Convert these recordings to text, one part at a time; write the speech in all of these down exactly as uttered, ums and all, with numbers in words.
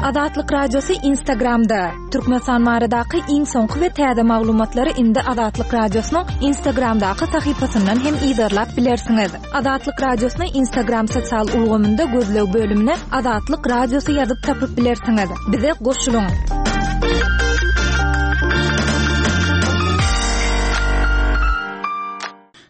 Azatlyk Radiosy Instagramda. Türkmenistan baradaky iň soňky we täze maglumatlary indi Azatlyk Radiosynyň Instagramdaky sahypasyndan hem yzarlap bilersiňiz. Azatlyk Radiosyny Instagram sosial ulgamynda gözleg bölümine Azatlyk Radiosy ýazyp tapyp bilersiňiz. Bize goşulyň.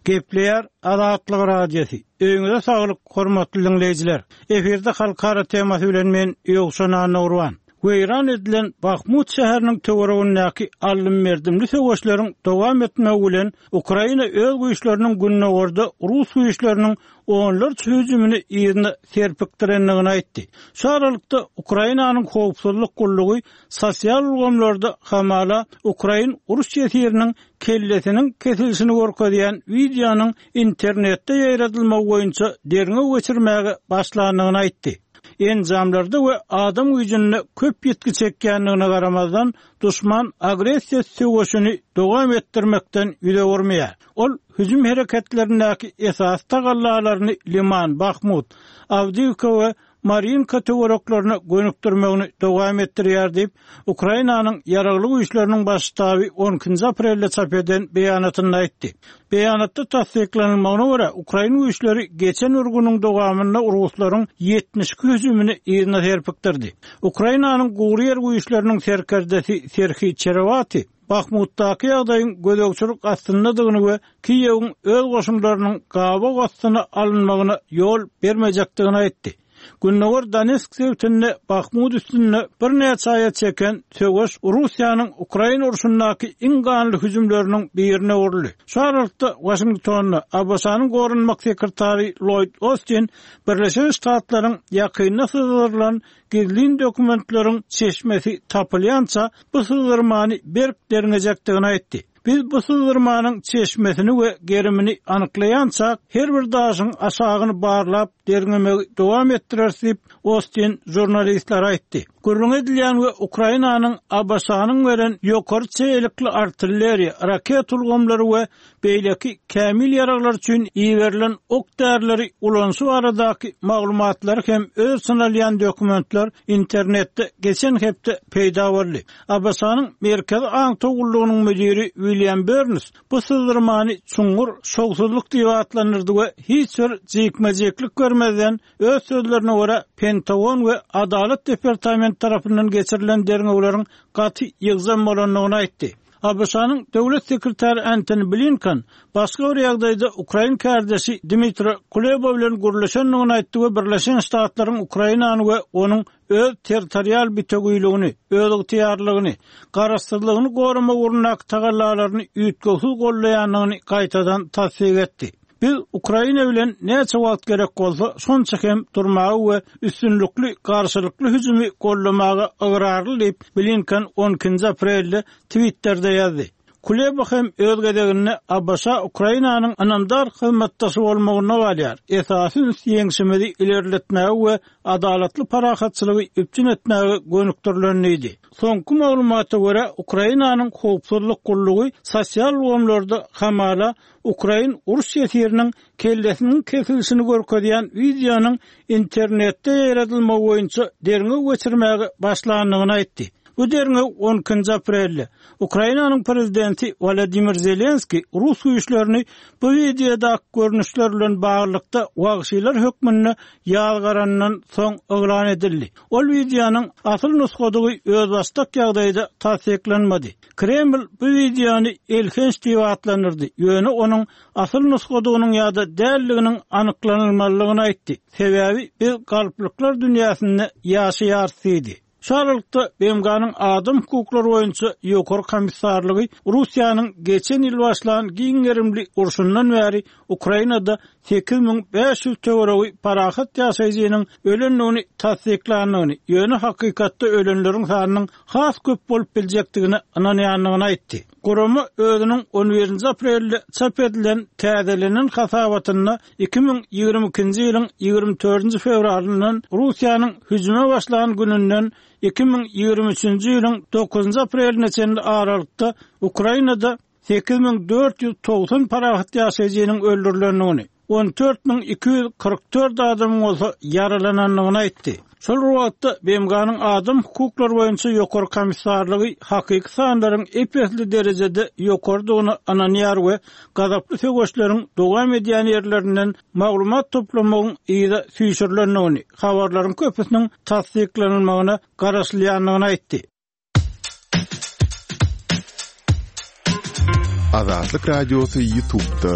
Gepleýär Azatlyk Radiosy. Öýüňize saglyk, hormatly diňleýjiler. Efirde halkara temasy bilen men Ýowşan Annagurban. Weýran edilen Bahmut şäheriniň töweregindäki aldym-berdimli söweşleriň dowam etmegi bilen Ukraina öz güýçleriniň gündogarda rus güýçleriniň onlarça hüjümini yzyna serpikdirendigini aýtdy. Şu aralykda Ukrainanyň howpsuzlyk gullugy sosial ulgamlarda hamala ukrain uruş ýesiriniň kellesiniň kesilişini görkezýän wideonyň internetde ýaýradylmagy boýunça derňew geçirmäge başlandygyny aýtdy. Enjamlarda we adam güýjünde köp ýitgi çekýändigine garamazdan, duşman agressiýa söweşini dowam etdirmekden ýüz öwürmeýär. Ol hüjüm hereketlerindäki esasy tagallalaryny Liman, Bahmut, Awdiýiwka we Marinka töwereklerine gönükdirmegini dowam etdirýär diýip, Ukrainanyň Ýaragly Güýçleriniň Baş ştaby on ikinji aprelde çap eden beýanatynda aýtdy. Beýanatda tassyklanylmagyna görä, ukrain güýçleri geçen bir günüň dowamynda ruslaryň ýetmiş iki hüjümini yzyna serpikdirdi. Ukrainanyň gury ýer güýçleriniň serkerdesi Serhiý Çerewati Bahmutdaky ýagdaýyň gözegçilik astyndadygyny we Kiýewiň öz goşunlarynyň gabaw astyna alynmagyna ýol bermejekdigini aýtdy. Gündogar Donetsk sebitinde Bahmut üstünde birnäçe aýa çeken söweş Russiýanyň Ukraina urşundaky iň ganly hüjümleriniň birine öwrüldi. Şu aralykda Waşingtonda A B Ş-nyň goranmak sekretary Lloyd Austin Birleşen Ştatlaryň ýakynda syzdyrylan gizlin dokumentleriň çeşmesi tapylýança bu syzdyrmany berk derňejekdigini aýtdy. Biz bu syzdyrmanyň çeşmesini we gerimini anyklaýança her bir daşyň aşagyny barlap derňemegi dowam etdireris diýip Austin žurnalistlere aýtdy. Gürrüň edilýän we Ukrainanyň A B Ş-nyň beren ýokary çeýelikli artilleriýa, raket ulgamlary we beýleki kämil ýaraglar üçin iberilen ok därileri ulanyşy baradaky maglumatlary hem öz içine alýan dokumentler internetde geçen hepde peýda boldy. A B Ş-nyň Merkezi aňtaw gullugynyň müdiri William Burns bu syzdyrmany çuňňur şowsuzlyk diýip atlandyrdy we hiç bir jikme-jiklik görmezden öz sözlerine görä Pentagon we Adalat departamenti tarapyndan geçirilen derňewleriň gaty ýygjam bolandygyny aýtdy. A B Ş-nyň döwlet sekretary Antony Blinken başga bir ýagdaýda ukrain kardeşi Dmitri Kuleba bilen gürleşendigini aýtdy we Birleşen Ştatlaryň Ukrainany we onuň öz territorial bitewüligini, öz ygtyýarlygyny, garaşsyzlygyny goramak ugrundaky tagallalaryny üýtgewsiz gollaýandygyny gaýtadan tassyk etdi. Biz Ukraina bilen näçe wagt gerek bolsa, şonça hem durmagy we üstünlikli garşylykly hüjümi gollamaga ygrarly diýip Blinken on ikinji aprelde Twitter'de ýazdy. Kuleba hem öz gezeginde A B Ş Ukrainanyň ynamdar hyzmatdaşy bolmagyna galýar. Esasy üns ýeňşimizi ilerletmäge we adalatly parahatçylygy üpjün etmäge gönükdirilen diýdi. Soňky maglumata görä Ukrainanyň howpsuzlyk gullugy sosial ulgamlarda hamala ukrain uruş ýesiriniň kellesiniň kesilişini görkezýän wideonyň internetde ýaýradylmagy boýunça derňew geçirmäge başlandygyny aýtdy. Bu derňew on ikinji aprelde Ukrainanyň prezidenti Wladimir Zelenski rus güýçlerini bu wideodaky görnüşler bilen baglylykda wagşylar hökmünde ýazgarandan soň yglan edildi. Ol wideonyň asyl nusgadygy özbaşdak ýagdaýda tassyklanmady. Kreml bu wideony elhenç diýip atlandyrdy. Ýöne onuň asyl nusgadygynyň ýa-da däldiginiň anyklanylmalydygyny aýtdy. Sebäbi biz galplyklar dünýäsinde ýaşaýarys diýdi. Şu aralykda B M G-nyň adam hukuklary boýunça ýokary komissarlygy Russiýanyň geçen ýyl başlan giň gerimli urşundan bäri Ukrainada sekiz müň bäş ýüz töweregi parahat ýaşaýjynyň ölendigini tassyklandygyny, ýöne hakykatda ölenleriň sanynyň has köp bolup biljekdigine ynanýandygyny aýtdy. Gurama özüniň on birinji aprelde çap edilen täzelenen hasabatynda iki müň ýigrimi ikinji ýylyň ýigrimi dördünji fewralyndan Russiýanyň hüjüme başlan gününden iki müň ýigrimi üçünji ýylyň dokuzynjy apreline çenli aralykda Ukrainada sekiz müň dört ýüz togsan parahat ýaşaýjynyň öldürilendigini, on dört müň iki ýüz kyrk dört adamyň bolsa ýaralanandygyny aýtdy. Şol bir wagtda B M G-nyň adam hukuklary boýunça ýokary komissarlygy hakyky sanlaryň ep-esli derejede ýokarydygyna ynanýar we gazaply söweşleriň dowam edýän ýerlerinden maglumat toplamagyň yza süýşürilendigini, habarlaryň köpüsiniň tassyklanylmagyna garaşylýandygyny aýtdy. Azatlyk Radiosy YouTube'da.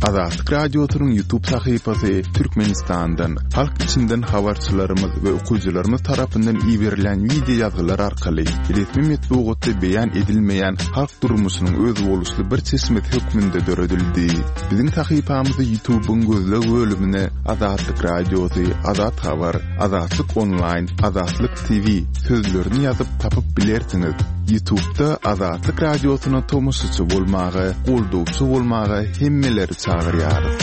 Azatlyk Radiosynyň YouTube sahypasy Türkmenistandan, halk içinden habarçylarymyz we okyjylarymyz tarapyndan iberilen wideo ýazgylar arkaly resmi metbugatda beýan edilmeýän halk durmuşynyň özboluşly bir çeşmesi hökmünde döredildi. Biziň sahypamyzy YouTube'yň gözleg bölümine Azatlyk Radiosy, Azat Habar, Azatlyk Online, Azatlyk T V sözlerini ýazyp tapyp bilersiňiz. YouTube'da Azatlyk Radiosyna tomaşaçy bolmaga, goldawçy bolmaga hemmeleri çagyrýarys.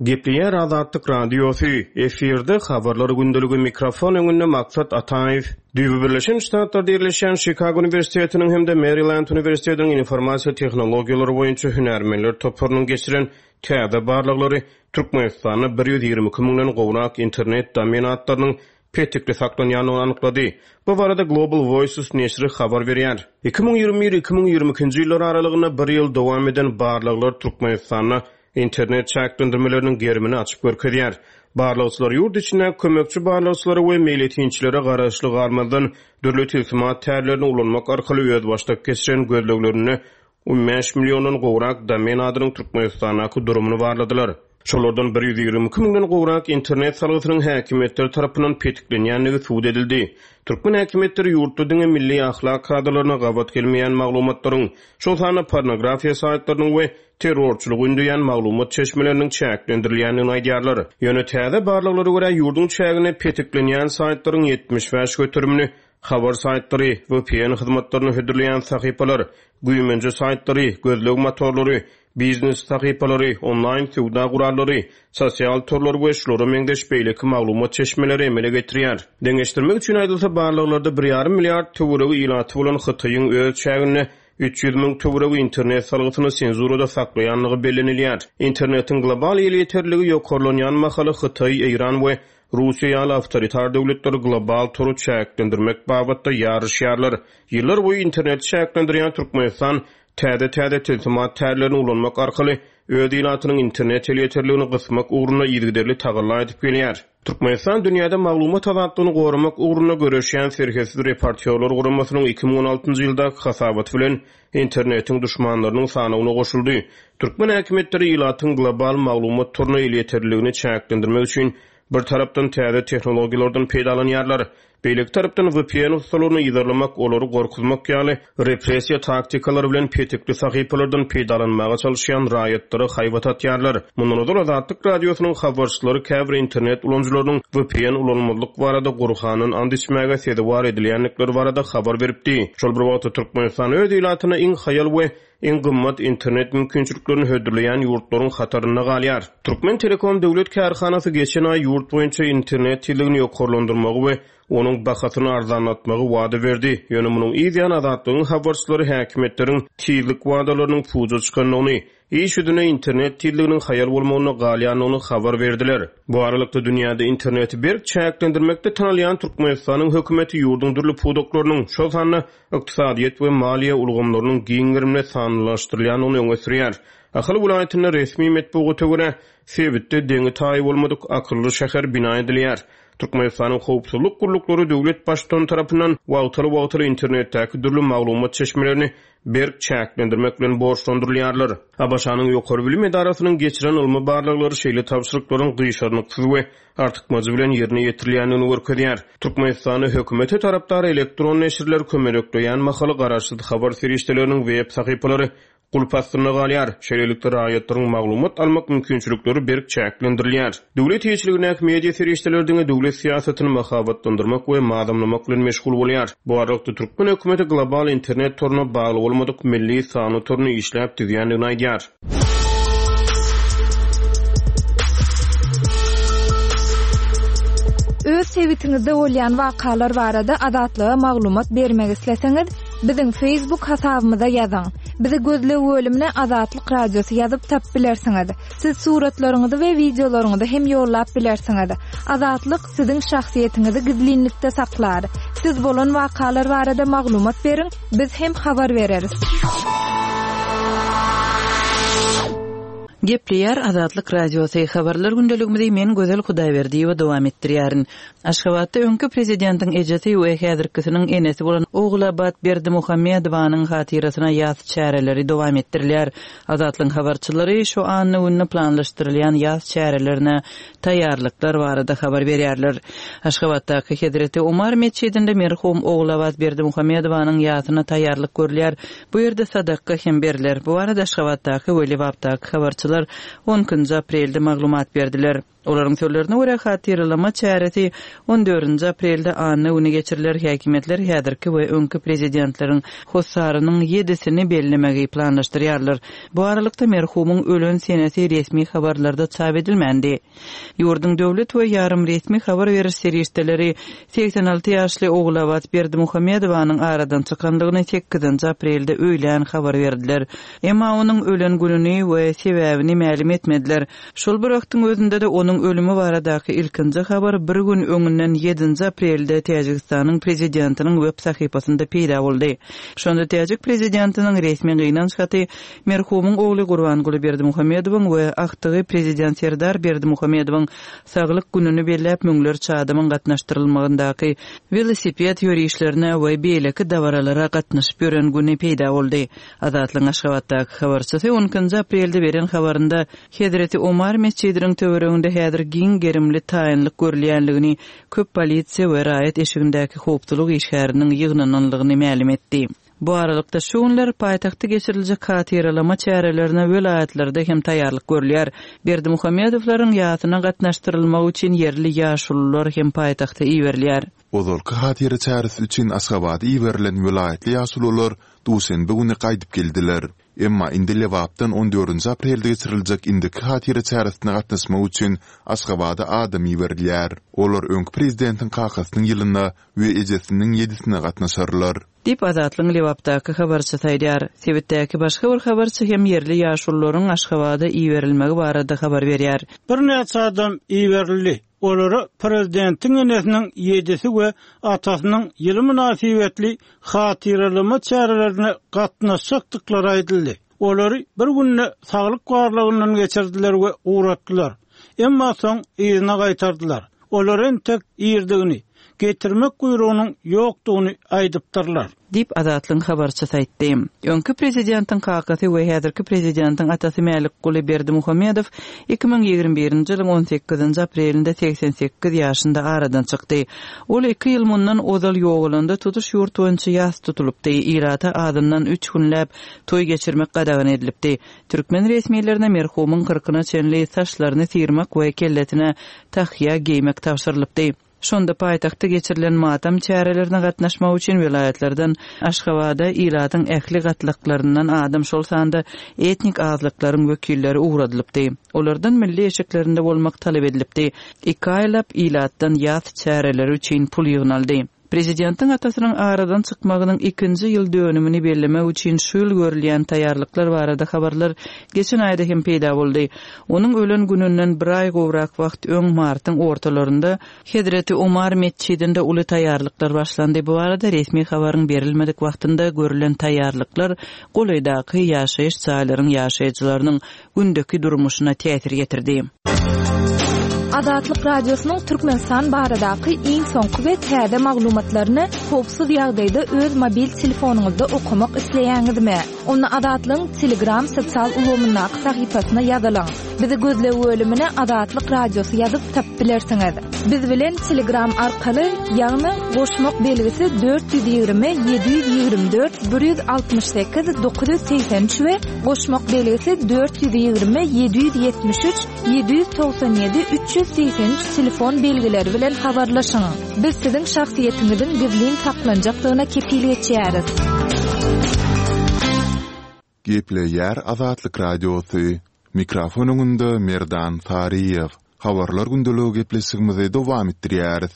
Gepleýär Azatlyk Radiosy, efirde habarlar gündeligi, mikrofon öňünde Maksat Ataýew. Düýbi Birleşen Ştatlarda ýerleşýän Chicago Uniwersitetiniň hem-de Maryland Uniwersitetiniň informasiýa tehnologiýalary boýunça hünärmenler toparynyň geçiren täze barlaglary Türkmenistanda bir ýüz ýigrimi iki müňden gowrak internet domen atlarynyň petikli saklanýandygyny anyklady. Bu barada Global Voices neşiri habar berýär. Iki müň ýigrimi bir iki müň ýigrimi ikinji ýyllar aralygynda bir ýyl dowam eden barlaglar Türkmenistanda internet çäklendirmeleriniň gerimini açyp görkezýär. Barlagçylar ýurt içinde kömekçi barlagçylara we meýletinçilere garaşly galmazdan dürli tilsimat tärlerini ulanmak arkaly özbaşdak geçiren gözleglerinde on bäş milliondan gowrak domen adynyň Türkmenistandaky durumyny barladylar. Şolardan bir ýüz ýigrimi iki müňden gowrak internet salgysynyň häkimiýetleri tarapyndan petiklenýändigi subut edildi. Türkmen häkimiýetleri ýurtda diňe milli ahlak kadalaryna gabat gelmeýän maglumatlaryň, şol sanda pornografiýa saýtlarynyň we terrorçylygy ündeýän maglumat çeşmeleriniň çäklendirilýändigini aýdýarlar. Ýöne täze barlaglara görä ýurduň çägine petiklenýän saýtlaryň ýetmiş bäş göterimini habar saýtlary, V P N hyzmatlaryny hödürleýän sahypalar, güýmenje saýtlary, gözleg motorlary, biznes sahypalary, onlaýn söwda gurallary, sosial torlar we şulara meňzeş beýleki maglumat çeşmeleri emele getirýär. Deňeşdirmek üçin aýdylsa barlaglarda bir ýarym milliard töweregi ilaty bolan Hytaýyň öz çäginde üç ýüz müň töweregi internet salgysyny senzurada saklaýanlygy bellenilýär. Internetiň global elýeterligi ýokarlanýan mahaly Hytaý, Eýran we Russiýa ýaly awtoritar döwletler global tory çäklendirmek babatda ýaryşýarlar. Ýyllar boýy interneti çäklendirýän Türkmenistan täze-täze tilsimat tärlerini ulanmak arkaly öz ilatynyň internet elýeterligini gysmak ugrunda yzygiderli tagalla edip gelýär. Türkmenistan dünýäde maglumat azatlygyny goramak ugrunda göreşýän Serhetsiz reportýorlar guramasynyň iki müň on altynjy ýyldaky hasabaty bilen internetiň düşmanlarynyň sanawyna goşuldy. Türkmen häkimiýetleri ilatyň global maglumat toruna elýeterligini çäklendirmek üçin bir tarapdan täze tehnologiýalardan peýdalanýarlar. Beýleki tarapdan V P N ustalaryny yzarlamak, olary gorkuzmak ýaly repressiýa taktikalary bilen petikli sahypalardan peýdalanmaga çalışýan raýatlara haýbat atýarlar. Mundan ozal Azatlyk Radiosynyň habarçylary käbir internet ulanyjylarynyň V P N ulanmazlyk barada Gurhandan and içmäge sezewar edilýändikleri barada habar beripdi. Şol bir wagtda Türkmenistan öz ilatyna iň haýal we iň gymmat internet mümkinçiliklerini hödürleýän ýurtlaryň hatarynda galýar. Türkmen Telekom döwlet kärhanasy geçen aý ýurt boýunça internet tizligini ýokarlandyrmagy we onuň bahasyny arzanlatmagy wada berdi. Ýöne munuň yz ýany Azatlygyň habarçylary häkimiýetleriň tizlik wadalarynyň puja çykandygyny, iş ýüzüne internet tizliginiň haýal bolmagyna galýandygyny habar berdiler. Bu aralykda dünýäde interneti berk çäklendirmekde tanalýan Türkmenistanyň hökümeti ýurduň dürli pudaklarynyň, şol sanda ykdysadyýet we maliýe ulgamlarynyň giň gerimli sanlylaşdyrylýandygyny öňe sürýär. Ahal welaýatynda resmi metbugata görä sebitde deňi taýy bolmadyk akylly şäher bina edilýär. Türkmenistanyň howpsuzlyk gulluklary döwlet baştutany tarapyndan wagtal-wagtal internetdäki dürli maglumat çeşmelerini berk çäklendirmek bilen borçlandyrylýarlar. A B Ş-nyň ýokary bilim edarasynyň geçiren ylmy barlaglary şeýle tabşyryklaryň gyşarnyksyz we artykmajy bilen ýerine ýetirilýändigini görkezýär. Türkmenistanda hökümete tarapdar elektron neşirler kömelekleýän mahaly garaşsyz habar serişdeleriniň web sahypalary gulp astynda galýar. Şeýlelikde raýatlaryň maglumat almak mümkinçilikleri berk çäklendirilýär. Döwlet eýeçiligindäki media serişdeleri diňe döwlet syýasatyny mahabatlandyrmak we mazamlamak bilen meşgul bolýar. Bu aralykda Türkmen hökümeti global internet toruna bagly bolmadyk milli sanly toruny işläp düzýändigini aýdýar. Öz sebitiňizde bolýan wakalar barada Azatlyga maglumat bermek isleseňiz, biziň Facebook hasabymyza ýazyň. Bizi gözleg bölümine Azatlyk Radiosy ýazyp tapyp bilersiňiz. Siz suratlaryňyzy we wideolaryňyzy hem ýollap bilersiňiz. Azatlyk siziň şahsyýetiňizi gizlinlikde saklar. Siz bolan wakalar barada maglumat beriň, biz hem habar bereris. Gepleýär Azatlyk Radiosy habarlar gündeligimizi men Gözel Hudaýberdiýewa dowam etdirýärin. Aşgabatda öňki prezidentiň ejesi we häzirkisiniň enesi bolan Ogulabat Berdimuhamedowanyň hatyrasyna ýas çäreleri dowam etdirilýär. Azatlygyň habarçylary şu anna gününe planlaşdyrylýan ýas çärelerine taýýarlyklar barada habar berýärler. Aşgabatdaky Hezreti Omar metjidinde merhum Ogulabat Berdimuhamedowanyň ýasyna taýýarlyk görülýär. Bu ýerde sadaka hem beriler. Bu arada Aşgabatdaky we Lebapdaky habarçylar on ikinji aprelde maglumat berdiler. Olaryň sözlerine görä hatyralama çäresi on dördünji aprelde anna günü geçiriler. Häkimiýetler häzirki we öňki prezidentleriň hossarynyň ýedisini bellemegi planlaşdyrýarlar. Bu aralykda merhumyň ölen senesi resmi habarlarda çap edilmändi. Ýurduň döwlet we ýarym resmi habar beriş serişdeleri seksen alty ýaşly Ogulabat Berdimuhamedowanyň aradan çykandygyny sekizinji aprelde öýlän habar berdiler. Emma onuň ölen gününi we sebäbini mälim etmediler. Şol bir wagtyň özünde de onuň ölümi baradaky ilkinji habar bir gün öňünden ýedinji aprelde Täjigistanyň prezidentiniň web sahypasynda peýda boldy. Şonda Täjik prezidentiniň resmi gynanç haty merhumyň ogly Gurbanguly Berdimuhamedowyň we agtygy prezident Serdar Berdimuhamedowyň saglyk gününi belläp müňlerçe adamyň gatnaşdyrylmagyndaky welosiped ýörişlerine we beýleki dabaralara gatnaşyp ýören güni peýda boldy. Azatlygyň Aşgabatdaky habarçysy on ikinji aprelde beren habarynda Hezreti Omar metjidiniň töwereginde häzir giň gerimli taýynlyk görülýänligini, köp polisiýa we raýat eşigindäki howpsuzlyk işgäriniň ýygnananlygyny mälim etdi. Bu aralykda şu günler paýtagtda geçiriljek hatyralama çärelerine welaýatlarda hem taýýarlyk görülýär. Berdimuhamedowlaryň ýasyna gatnaşdyrylmagy üçin ýerli ýaşulular hem paýtagta iberilýär. Ozalky hatyra çäresi üçin Aşgabada iberilen welaýatly ýaşulular duşenbe güni gaýdyp geldiler. Emma indi Lebapdan on dördünji aprelde geçiriljek indiki hatyra çäresine gatnaşmak üçin Aşgabada adam iberilýär. Olar öňki prezidentiň kakasynyň ýylyna we ejesiniň ýedisine gatnaşarlar. Diýip Azatlygyň Lebapdaky habarçysy aýdýar. Sebitdäki başga bir habarçy hem ýerli ýaşulularyň Aşgabada iberilmegi barada habar berýär. Bir näçe adam iberildi. Olara prezidentiň enesiniň ýedisi we atasynyň ýyly mynasybetli hatyralama çärelerine gatnaşjakdyklary aýdyldy. Olary bir günde saglyk barlagyndan geçirdiler we uğratdylar. Emma soň yzyna gaýtardylar. Olar entek irdigini, getirmek buýrugynyň ýokdugyny aýdypdyrlar. Diýip Azatlygyň habarçysy aýtdy. Öňki prezidentiň kakasy we häzirki prezidentiň atasy Mälikguly Berdimuhamedow iki müň ýigrimi birinji ýylyň on sekizinji aprelinde seksen sekiz ýaşynda aradan çykdy. Ol iki ýyl mundan ozal ýogalanda tutuş ýurt boýunça ýas tutulypdy. Ilata azyndan üç günläp toý geçirmek gadagan edilipdi. Türkmen resmilerine merhumyň kyrkyna çenli saçlaryny syrmak we kellesine tahýa geýmek tabşyrylypdy. Şonda paýtagtda geçirilen matam çärelerine gatnaşmak üçin welaýatlardan Aşgabada ilatyň ähli gatlaklaryndan adam şol sanda etnik azlyklaryň wekilleri ugradylypdy. Olardan milli eşiklerinde bolmak talap edilipdi. Iki aýlap ilatdan ýas çäreleri üçin pul ýygnaldy. Prezidentiň atasynyň aradan çykmagynyň ikinji ýyl dönümini bellemek üçin şu ýyl görülýän taýýarlyklar barada habarlar geçen aýda hem peýda boldy. Onuň ölen gününden bir aý gowrak wagt öň martyň ortalarynda Hezreti Omar metjidinde uly taýýarlyklar başlandy. Bu arada resmi habaryň berilmedik wagtynda görülen taýýarlyklar golaýdaky ýaşaýyş jaýlaryň ýaşaýjylarynyň gündeki durmuşyna täsir getirdi. Azatlyk Radiosynyň Türkmenistan baradaky iň soňky we täze maglumatlaryny howpsuz ýagdaýda öz mobil telefonyňyzda okamak isleýäňizmi? Onda Azatlygyň Telegram sosial ulgamyndaky sahypasyna ýazylyň. Bizi gözleg bölümine Azatlyk Radiosy ýazyp tapyp bilersiňiz. Biz bilen Telegram arkaly, ýagny goşmak belgisi dört ýüz ýigrimi, ýedi ýüz ýigrimi dört, bir ýüz altmyş sekiz, dokuz ýüz segsen üç we goşmak belgisi dört ýüz ýigrimi, ýedi ýüz ýetmiş üç, ýedi ýüz togsan ýedi, üç ýüz segsen üç telefon belgileri bilen habarlaşyň. Biz siziň şahsyýetiňiziň gizlin saklanjakdygyna kepil geçýäris. Gepleýär Azatlyk Radiosy. Mikrofon öňünde Merdan Saryýew. Habarlar gündeligi gepleşigimizi dowam etdirýäris.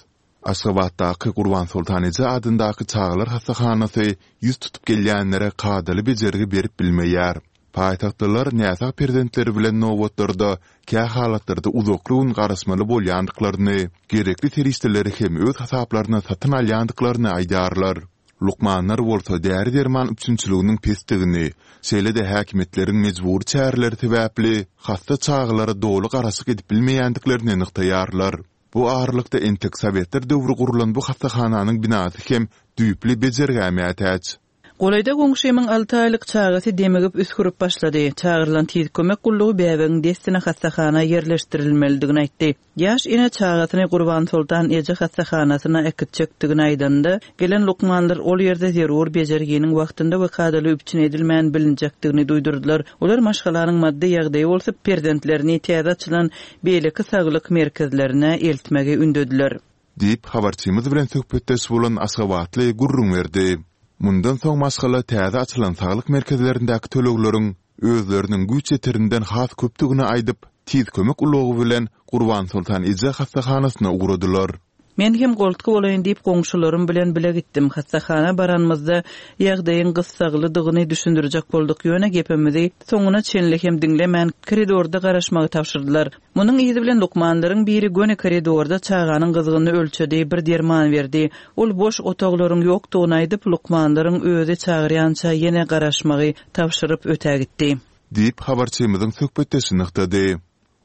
Aşgabatdaky Gurbansoltan eje adyndaky çagalar hassahanasy ýüz tutup gelýänlere kadaly bejergi berip bilmeýär. Paýtagtlylar näsag perzentleri bilen nobatlarda kähalatlarda uzakly gün garaşmaly bolýandyklaryny, gerekli serişdeleri hem öz hasaplaryna satyn alýandyklaryny aýdýarlar. Lukmanlar bolsa däri-derman üpjünçiliginiň pesdigini, şeýle-de häkimiýetleriň mejbury çäreleri sebäpli hassa çagalara doly garaşyk edip bilmeýändiklerini nygtaýarlar. Bu aralykda entek sowetler döwri gurlan bu hassahananyň binasy hem düýpli bejergä mätäç. Golaýda goňşymyň alty aýlyk çagasy demigip üsgürip başlady. Çagyrylan tiz kömek gullugy bäbegiň dessine hassahana ýerleşdirilmelidigini aýtdy. Ýaş ene çagasyny Gurbansoltan eje hassahanasyna äkitjekdigini aýdanda, gelen lukmanlar ol ýerde zerur bejerginiň wagtynda we kadaly üpjün edilmän bilinjekdigini duýdurdylar. Olar maşgalanyň maddy ýagdaýy bolsa perzentlerini täze açylan beýleki saglyk merkezlerine eltmegi ündediler. Diýip, habarçymyz bilen söhbetdeş bolan aşgabatly gürrüň berdi. Mundan soň maşgala täze açylan saglyk merkezlerindäki tölegleriň özleriniň güýç ýeterinden has köpdügini aýdyp, Tiz kömek ulagy bilen Gurbansoltan eje hassahanasyna ugradylar. Men hem goltgy bolaýyn diýip goňşularym bilen bile gitdim. Hassahana baranymyzda ýagdaýyň gyssaglydygyny düşündirjek bolduk, ýöne gepimizi soňuna çenli hem diňlemän koridorda garaşmagy tabşyrdylar. Munuň yzy bilen lukmanlaryň biri göni koridorda çaganyň gyzgynyny ölçedi, bir derman berdi. Ol boş otaglaryň ýokdugyny aýdyp, lukmanlaryň özi çagyrýança ýene garaşmagy tabşyryp ötägitdi. Diýip, habarçymyzyň söhbetdeşi nygtady.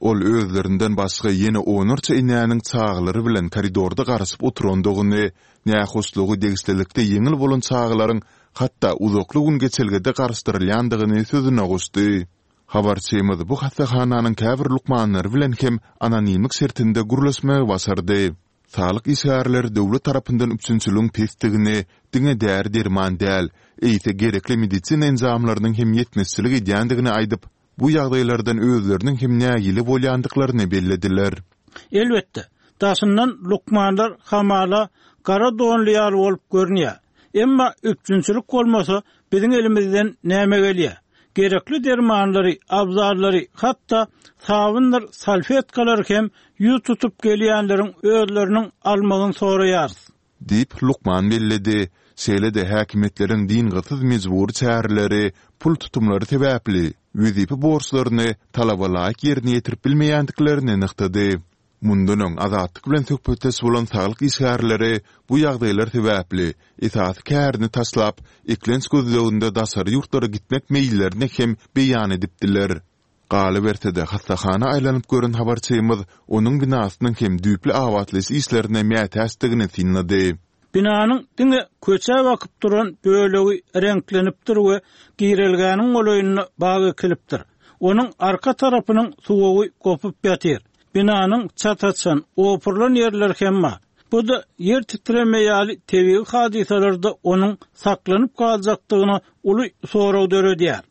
Ol özlerinden başga ýene onlarça enäniň çagalary bilen koridorda garaşyp oturandygyny, nähoşlugy degişlilikde ýeňil bolan çagalaryň hatda uzakly gün geçelgede garaşdyrylýandygyny sözüne goşdy. Habarçymyz bu hassahananyň käbir lukmanlary bilen hem anonimlik şertinde gürleşmegi başardy. Saglyk işgärleri döwlet tarapyndan üpjünçiligiň pesdigini, diňe däri-derman däl, eýse gerekli medisina enjamlarynyň hem ýetmezçilik edýändigini aýdyp, bu ýagdaýlardan özleriniň hem nägile bolýandyklaryny bellediler. Elbetde, daşyndan lukmanlar hamala gara donly ýaly bolup görünýär. Emma üpjünçilik bolmasa, biziň elimizden näme gelýär? Gerekli dermanlary, abzallary, hatda sabyndyr salfetkalary hem ýüz tutup gelýänleriň özleriniň almagyny soraýarys. Diýip, lukman belledi. Şeýle-de häkimiýetleriň dyngysyz mejbury çäreleri, pul tutumlary sebäpli, wezipe borçlaryny talabalaýyk ýerine ýetirip bilmeýändiklerini nygtady. Mundan öň Azatlyk bilen söhbetdeş bolan saglyk işgärleri bu ýagdaýlar sebäpli, esasy kärini taşlap, eklenç gözleginde daşary ýurtlara gitmek meýillerini hem beýan edipdiler. Galyberse-de, hassahana aýlanyp gören habarçymyz onuň binasynyň hem düýpli abatlaýyş işlerine mätäçdigini synlady. Binanyň diňe köçä bakyp duran bölegi reňklenipdir we girelgäniň golaýynda bag ekilipdir. Onuň arka tarapynyň suwagy gopup ýatyr. Binanyň çat açan, opurylan ýerleri hem bar. Bu-da ýer titreme ýaly tebigy hadysalarda onuň saklanyp galjakdygyna uly sorag döredýär.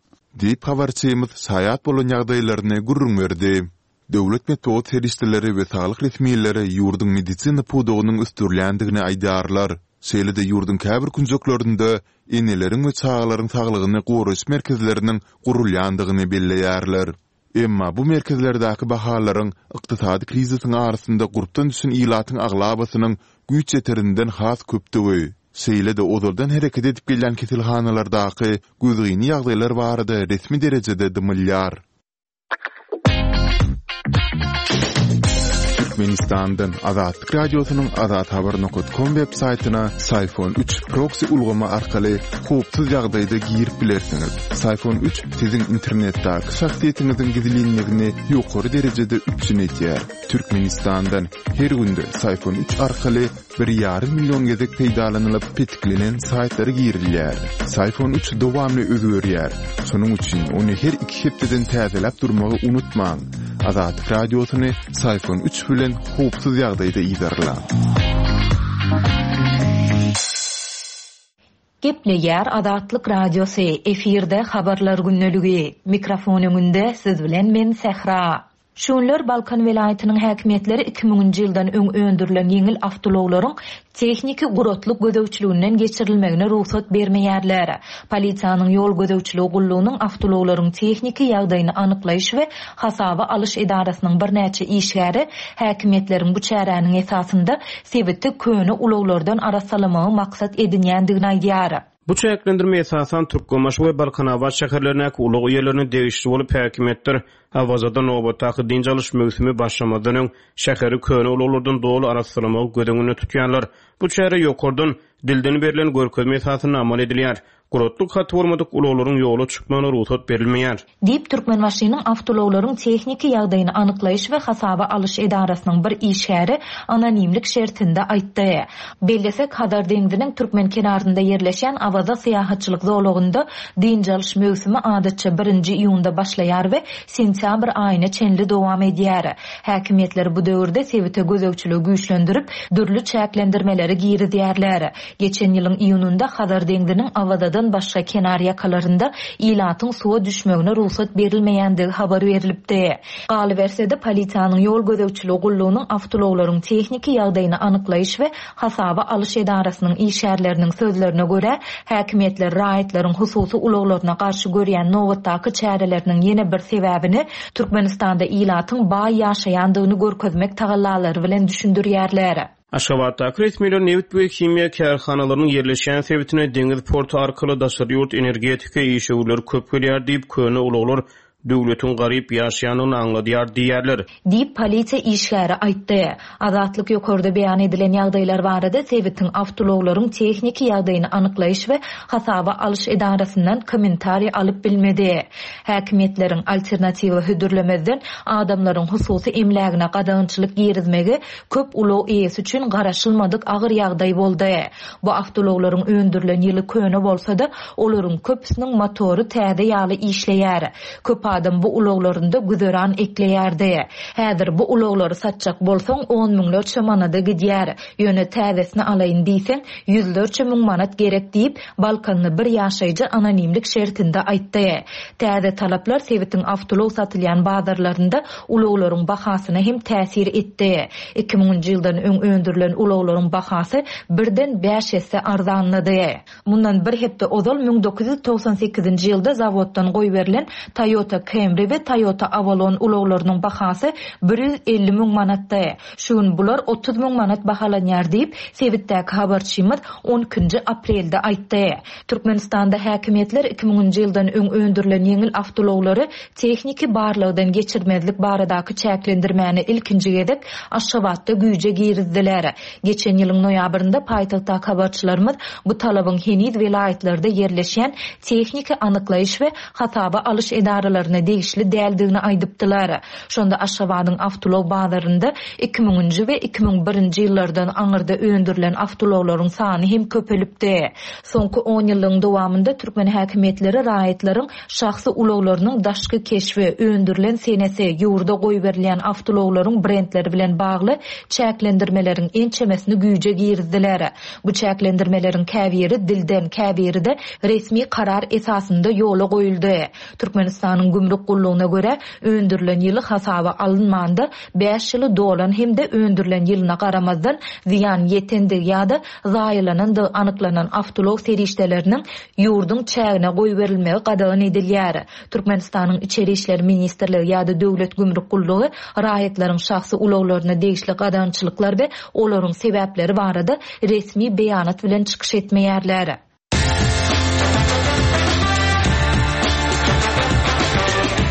Diýip, habarçymyz şaýat bolan ýagdaýlaryny gürrüň berdi. Döwlet metbugat serişdeleri we saglyk resmileri ýurduň medisina pudagynyň ösdürilýändigini aýdýarlar. Şeýle-de ýurduň käbir künjeklerinde eneleriň we çagalaryň saglygyny goraýyş merkezleriniň gurulýandygyny belleýärler. Emma bu merkezlerdäki bahalaryň ykdysady krizisiň arasynda gurpdan düşen ilatyň aglabasynyň güýç ýeterinden has köpdügi, şeýle-de ozaldan hereket edip gelýän keselhanalardaky gözgyny ýagdaýlar barada resmi derejede dymylýar. Türkmenistandan Azatlyk Radiosynyň azathabar nokat kom web saýtyna Syfon üç proksi ulgamy arkaly howpsuz ýagdaýda girip bilersiňiz. Syfon üç siziň internetdäki şahsyýetiňiziň gizlinligini ýokary derejede üpjün edýär. Türkmenistandan her günde Syfon üç arkaly bir ýarym million gezek peýdalanylyp petiklenen saýtlara girilýär. Syfon üç dowamly özgerýär. Şonuň üçin ony her iki hepdeden täzeläp durmagy unutmaň. Azatlyk Radiosyny Syfon üç bilen howpsuz ýagdaýda yzarlaň. Gepleýär Azatlyk Radiosy, efirde Habarlar gündeligi. Mikrofon öňünde siz bilen men Sähra. Şu günler Balkan welaýatynyň häkimiýetleri iki müňünji ýyldan öň öndürilen ýeňil awtoulaglaryň tehniki guratlyk gözegçiliginden geçirilmegine rugsat bermeýärler. Polisiýanyň ýol gözegçiligi gullugynyň awtoulaglaryň tehniki ýagdaýyny anyklaýyş we hasaba alyş edarasynyň birnäçe işgäri häkimiýetleriň bu çäräniň esasynda sebiti köne ulaglardan arassalamagy maksat edinýändigini aýdýar. Bu çäklendirme esasan Türkmenbaşy we Balkanabat şäherlerindäki ulag eýelerine degişli bolup, häkimiýetler Awazada nobatdaky dynç alyş möwsümi başlamazdan öň şäheri köne ulaglardan doly arassalamagy göz öňünde tutýarlar. Bu çäre ýokardan, dilden berlen görkezme esasynda amal edilýär. Guratlyk haty bolmadyk ulaglaryň ýola çykmagyna rugsat berilmeýär. Diýip, Türkmenbaşynyň awtoulaglaryň tehniki ýagdaýyny anyklaýyş we hasaba alyş edarasynyň bir işgäri anonimlik şertinde aýtdy. Bellesek, Hazar deňziniň türkmen kenarynda ýerleşýän Awaza syýahatçylyk zolagynda dynç alyş möwsümi adatça birinji iýunda başlaýar we sentýabr aýyna çenli dowam edýär. Häkimiýetler bu döwürde sebite gözegçiligi güýçlendirip, dürli çäklendirmeleri girizýärler. Geçen ýylyň iýunynda Hazar deňziniň Awazadan başga kenar ýakalarynda ilatyň suwa düşmegine rugsat berilmeýändigi habar berlipdi. Galyberse-de, polisiýanyň ýol gözegçiligi gullugynyň awtoulaglaryň tehniki ýagdaýyny anyklaýyş we hasaba alyş edarasynyň işgärleriniň sözlerine görä, häkimiýetler raýatlaryň hususy ulaglaryna garşy görýän nobatdaky çäreleriniň ýene bir sebäbini Türkmenistanda ilatyň baý ýaşaýandygyny görkezmek tagallalary bilen düşündirýärler. Aşgabatdaky resmiler nebit we himiýa kärhanalarynyň ýerleşýän sebitine deňiz porty arkaly daşary ýurt energetika işewürleri köp gelýär diýip, köne ulaglar döwletiň garyp ýaşaýandygyny aňladýar diýýärler. Diýip, polisiýa işgäri aýtdy. Azatlyk ýokarda beýan edilen ýagdaýlar barada sebitiň awtoulaglaryň tehniki ýagdaýyny anyklaýyş we hasaba alyş edarasyndan kommentariý alyp bilmedi. Häkimiýetleriň alternatiwa hödürlemezden adamlaryň hususy emlägine gadagançylyk girizmegi köp ulag eýesi üçin garaşylmadyk agyr ýagdaý boldy. Bu awtoulaglaryň öndürilen ýyly köne bolsa-da, olaryň köpüsiniň motory täze ýaly işleýär. Köp adam bu ulaglarynda güzeran ekleýärdi. Häzir bu ulaglary satjak bolsaň, on müňlerçe manada gidýär. Ýöne täzesini alaýyn diýseň, ýüzlerçe müň manat gerek diýip, balkanly bir ýaşaýjy anonimlik şertinde aýtdy. Täze talaplar sebitiň awtoulag satylýan bazarlarynda ulaglaryň bahasyna hem täsir etdi. Iki müňünji ýyldan öň öndürilen ulaglaryň bahasy birden bäş esse arzanlady. Mundan bir hepde ozal müň dokuz ýüz togsan sekizinji ýylda zawoddan goýberilen Toyota Camry we Toyota Avalon ulaglarynyň bahasy bir ýüz elli müň manatdy. Şu gün bular otuz müň manat bahalanýar diýip, sebitdäki habarçymyz on ikinji aprelde aýtdy. Türkmenistanda häkimiýetler iki müňünji ýyldan öň öndürilen ýeňil awtoulaglary tehniki barlagdan geçirmezlik baradaky çäklendirmäni ilkinji gezek Aşgabatda güýje girizdiler. Geçen ýylyň noýabrynda paýtagtdaky habarçylarymyz bu talabyň heniz welaýatlarda ýerleşýän tehniki anyklaýyş we hasaba alyş edaralaryna degişli däldigini aýdypdylar. Şonda Aşgabadyň awtoulag bazarynda iki müňünji we iki müň birinji ýyllardan aňyrda öndürilen awtoulaglaryň sany hem köpelipdi. Soňky on ýyllygyň dowamynda türkmen häkimiýetleri raýatlaryň şahsy ulaglarynyň daşky keşbi, öndürilen senesi, ýurda goýberilýän awtoulaglaryň brendleri bilen bagly çäklendirmeleriň ençemesini güýje girizdiler. Bu çäklendirmeleriň käbiri dilden, käbiri-de resmi karar esasynda ýola goýuldy. Türkmenistanyň gümrük gullugyna görä, öndürilen ýyly hasaba alynmanda bäş ýyly dolan hem-de öndürilen ýylyna garamazdan zyýan ýetendigi ýa-da zaýalanandygy anyklanan awtoulag serişdeleriniň ýurduň çägine goýberilmegi gadagan edilýär. Türkmenistanyň Içeri işler ministrligi ýa-da Döwlet gümrük gullugy raýatlaryň şahsy ulaglaryna degişli gadagançylyklar we olaryň sebäpleri barada resmi beýanat bilen çykyş etmeýärler.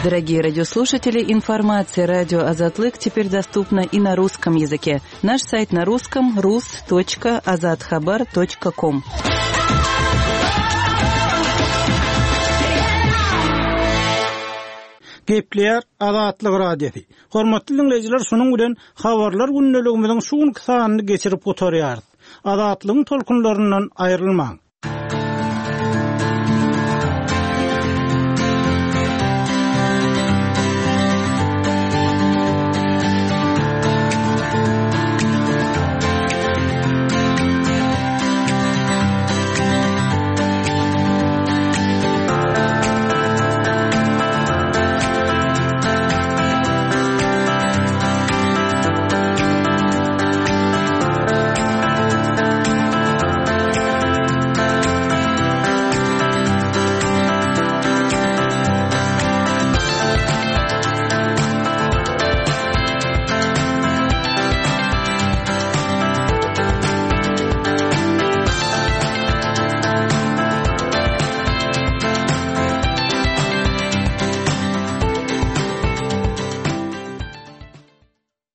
Дорогие радиослушатели, информация радио Азатлык теперь доступна и на русском языке. Наш сайт на русском рус точка азатхабар точка ком. Gepleýär Azatlyk Radiosy. Hormatly dinleýjiler, şunuň bilen habarlar gündeligimiziň şu günki sanyny geçirip gutarýarys. Azatlygyň tolkunlaryndan aýrylmaň.